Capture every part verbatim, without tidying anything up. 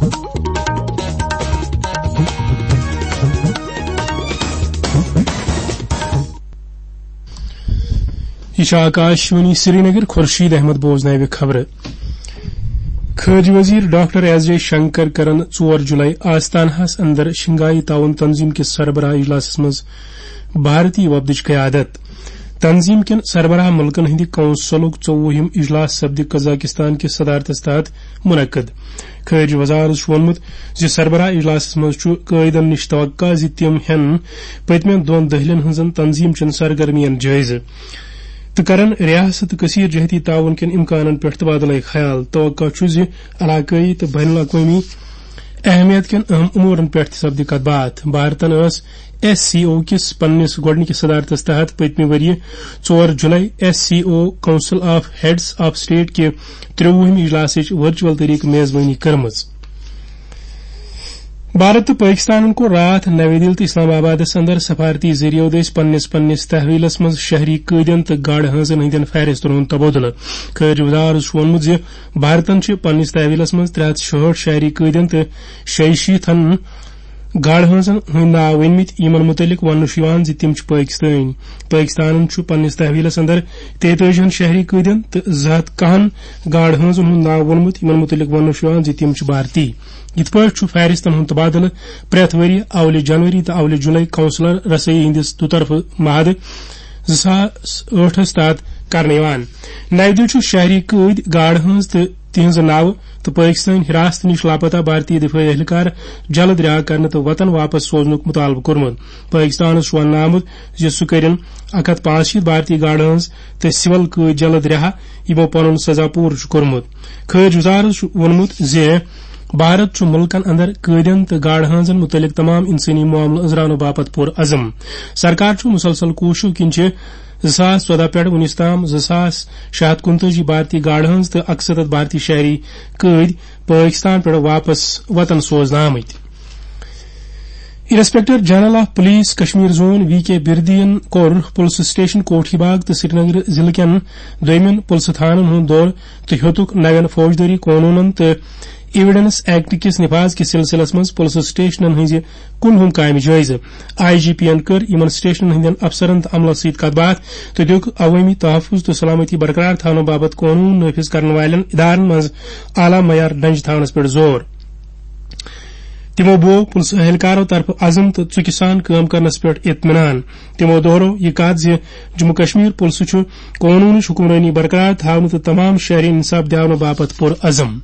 یہِ چھِ آکاش وانی سرینگر، خورشید احمد بوزناوِ خبرٕ۔ خارجہ وزیر ڈاکٹر ایس جے شنکر کرن ژور جولائی آستانہس اندر شنگھائی تعاون تنظیم کِس سربراہ اجلاسس منٛز بھارتی وفدٕچ قیادت۔ تنظیم کٮ۪ن سربراہ ملکن ہٕنٛدِ کونسلُک ژوٚوُہِم اجلاس سپدِ قزاقستان کِس صدارتس تحت منعقد۔ خارجہ وزارت چھُ ووٚنمُت زِ سربراہ اجلاسس منٛز چھُ قٲیدن نِش توقع زِ تِم ہٮ۪ن پٔتمٮ۪ن دۄن دٔہلٮ۪ن ہٕنٛزن تنظیم چٮ۪ن سرگرمین جٲیزٕ تہٕ کرن ریاست تہٕ کثیر جہتی تعاون کٮ۪ن امکانن پٮ۪ٹھ تبادلہ خیال۔ توقع چھُ زِ علاقٲیی تہٕ بین الاقوٲمی اہمیت کٮ۪ن اہم امورن پٮ۪ٹھ تہِ سپدِ کتھ باتھ۔ بھارتن ٲس ایس سی او کِس پننِس گۄڈٕنِکِس صدارتس تحت پٔتمہِ ؤرۍ یہِ ژور جولائی S C O council of heads of state کہِ ترٛۆوُہمہِ اجلاسٕچ ورچوئل طریقہٕ میزبٲنی کٔرمٕژ۔ بھارت تہٕ پٲکِستانن کوٚر راتھ نَوِ دِلہِ تہٕ اسلام آبادس اندر سفارتی ذٔریعہٕ دٔسۍ پننِس پننِس تحویلس منٛز شہری قٲدٮ۪ن تہٕ گاڈٕ ہٲنزن ہٕنٛدٮ۪ن فہرستن ہُنٛد تبادلہٕ۔ خارجہ وزارت چھُ ووٚنمُت زِ بھارتن چھِ پننِس تحویلس منٛز ترٛےٚ ہتھ شُہٲٹھ شہری قٲدٮ۪ن تہٕ شیٚیہِ شیٖتن گاڈٕ ہٲنزن ہٕنٛدۍ ناو ؤنمٕتۍ، یِمن مُتعلق وننہٕ چھُ یِوان زِ تِم چھِ پٲکِستٲنۍ۔ پٲکِستانن چھُ پننِس تحویلس اندر تیتٲجی ہن شہری قٲدٮ۪ن تہٕ زٕ ہتھ کاہن گاڈٕ ہٲنزن ہُنٛد ناو ووٚنمُت، یِمن مُتعلق وننہٕ چھُ یِوان زِ تِم چھِ بھارتی۔ یِتھ پٲٹھۍ چھُ فہرستن ہُنٛد تبادلہٕ پرٛٮ۪تھ ؤرۍ یہِ اولہِ جنوری تہٕ اولہِ جولائی کونسلر رسٲیی ہٕنٛدِس دُطرفہٕ معاہدٕ زٕ ساس ٲٹھس تحت کرنہٕ یِوان۔ نَوِ دِلہِ چھُ شہری قٲدۍ، گاڈٕ ہٲنز تہٕ تِہنٛزٕ ناوٕ تہٕ پٲکِستٲنۍ حراست نِش لاپتہ بھارتی دفٲعی اہلکار جلد رہا کرنہٕ تہٕ وطن واپس سوزنُک مطالبہٕ کوٚرمُت۔ پٲکِستانَس چھُ وننہٕ آمُت زِ سُہ کٔرِن اکھ ہتھ پانٛژھ شیٖتھ بھارتی گاڈٕ ہٲنز تہٕ سول قٲدۍ جلد رہا، یِمو پنُن سزا پوٗرٕ چھُ کوٚرمُت۔ خارجہ وزارت چھُ ووٚنمُت زِ بھارت چھُ مُلکن اندر قٲدٮ۪ن تہٕ گاڈٕ ہٲنزن مُتعلق تمام انسٲنی معاملہٕ أنٛزراونہٕ باپتھ پُر عزم۔ سرکار چھُ مسلسل کوٗششو کِنۍ چھِ زٕ ساس ژۄدہ پٮ۪ٹھ وُنِس تام زٕ ساس شےٚ ہتھ کُنتٲجی بھارتی گاڈٕ ہٲنز تہٕ اکسَتتھ بھارتی شہری قٲدۍ پٲکِستان پٮ۪ٹھ واپس وطن سوزنہٕ آمٕتۍ۔ Inspector general of police Kashmir zone V K بردین کوٚر پُلسہٕ سٹیشن کوٹھی باغ تہٕ سرینگر ضلعہٕ کٮ۪ن دوٚیمٮ۪ن پُلسہٕ تھانن ہُنٛد دورٕ تہٕ ہیوٚتُکھ نوٮ۪ن فوجدٲری قونوٗنن تہٕ ایویڈنس ایکٹ کِس نفاذ کِس سلسلس منٛز پُلسہٕ سٹیشنن ہٕنٛزِ کُل ہُم کامہِ جٲیزٕ۔ آئی جی پی ین کٔر یِمن سٹیشنن ہٕنٛدٮ۪ن افسرن تہٕ عملس سۭتۍ کتھ باتھ تہٕ دِیُکھ عوٲمی تحفظ تہٕ سلامتی برقرار تھاونہٕ باپتھ قونوٗن نافذ کرن والٮ۪ن ادارن منٛز اعلیٰ معیار ڈنجہِ تھاونس پٮ۪ٹھ زور۔ تِمو بوو پُلسہٕ اہلکارو طرفہٕ عزم تہٕ ژُکہِ سان کٲم کرنس پٮ۪ٹھ اطمینان۔ تِمو دوہرو یہِ کتھ زِ جموں کشمیر پُلسہٕ چھُ قونوٗنٕچ حکمرٲنی برقرار تھاونہٕ تہٕ تمام شہری انصاف دیاونہٕ باپتھ پُر عزم۔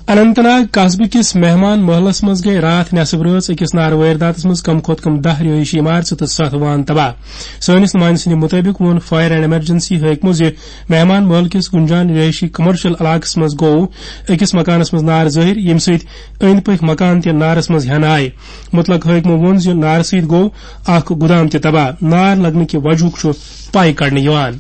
اننت ناگ قصبہٕ کِس مہمان محلس منٛز گٔے راتھ نٮ۪صٕب رٲژ أکِس نارٕ وٲرۍداتس منٛز کم کھۄتہٕ کم دَہ رہٲیشی عمارژٕ تہٕ ستھ وان تباہ۔ سٲنِس نُمٲیندٕ سٕنٛدِ مُطٲبِق ووٚن فائر اینڈ ایمرجنسی حٲکمو زِ مہمان محل کِس گُنجان رہٲیشی کمرشل علاقس منٛز گوٚو أکِس مکانس منٛز نار ظٲہِر، ییٚمہِ سۭتۍ أنٛدۍ پٔکۍ مکان تہِ نارس منٛز ہٮ۪نہٕ آیہِ۔ مُتلق حٲکمو ووٚن زِ نارٕ سۭتۍ گوٚو اکھ گُدام تہِ تباہ۔ نار لگنہٕ کہِ وجہُک چھُ پَے کڑنہٕ یِوان۔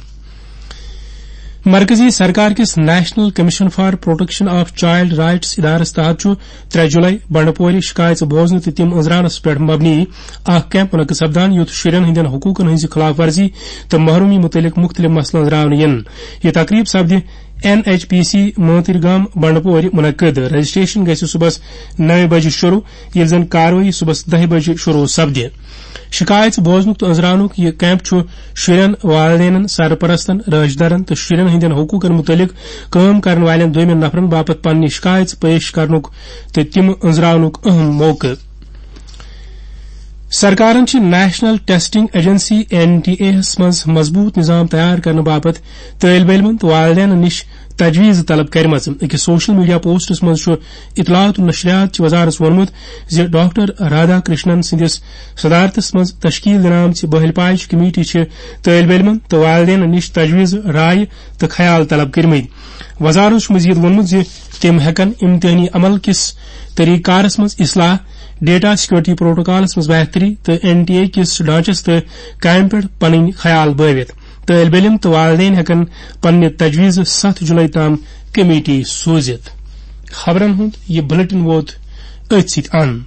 مرکزی سرکار کِس national commission for protection of child rights ادارس تحت چھُ ترٛےٚ جولائی بنڈپورِ شکایژٕ بوزنہٕ تہٕ تِم أنٛزراونس پٮ۪ٹھ مبنی اکھ کیمپ منعقد سپدان، یُتھ شُرٮ۪ن ہٕنٛدٮ۪ن حقوٗقن ہٕنٛزِ خلاف ورزی تہٕ محرومی مُتعلق مُختٔلِف مسلہٕ أنٛزراونہٕ یِن۔ یہِ تقریب سپدِ این ایچ پی سی مٲنتٕرۍ گام بنڈپورِ منعقد۔ رجسٹریشن گژھِ صبحس نَوِ بجہِ شروع، ییٚلہِ زن کاروٲیی صبحس دَہہِ بجہِ شروع سپدِ۔ شکایژٕ بوزنُک تہٕ أنٛزراونُک یہِ کیمپ چھُ شُرٮ۪ن، والدینن، سرپرستن، رٲچھ دارن تہٕ شُرٮ۪ن ہٕنٛدٮ۪ن حقوٗقن مُتعلق کٲم کرن والٮ۪ن دوٚیمٮ۪ن نفرن باپتھ پننہِ شکایژٕ پیش کرنُک تہٕ تِم أنٛزراونُک اہم موقعہٕ۔ سرکارن چھِ national testing agency, N T A ہس منٛز مضبوٗط نظام تیار کرنہٕ باپتھ طٲلب علمن تہٕ والدینن نِش تجویز طلب کرِمژ۔ أکِس سوشل میڈیا پوسٹس منٛز چھُ اطلاعات و نشریات چہِ وزارتس ووٚنمُت زِ ڈاکٹر رادھا کرشنن سٕنٛدِس صدارتس منٛز تشکیل دِنہٕ آمژِ بہل پاے کمیٹی چھِ طٲلب علمن تہٕ والدینن نِش تجویز، رائے تہٕ خیال طلب کٔرمٕتۍ۔ وزارتن چھُ مزید ووٚنمُت زِ تِم ہٮ۪کن امتحانی عمل کِس طریقہٕ کارس منٛز اصلاح، ڈیٹا سیکورٹی پروٹوکالس منٛز بہتری تہٕ این ٹی اے کِس ڈھانچس تہٕ کامہِ پٮ۪ٹھ پنٕنۍ خیال بٲوِتھ۔ طٲلب علم تہٕ والدین ہٮ۪کن پننہِ تجویزٕ ستھ جولائی تام کمیٹی سوٗزِتھ۔ خبرن ہُنٛد یہِ بلیٹن ووت أتھۍ سۭتۍ اند۔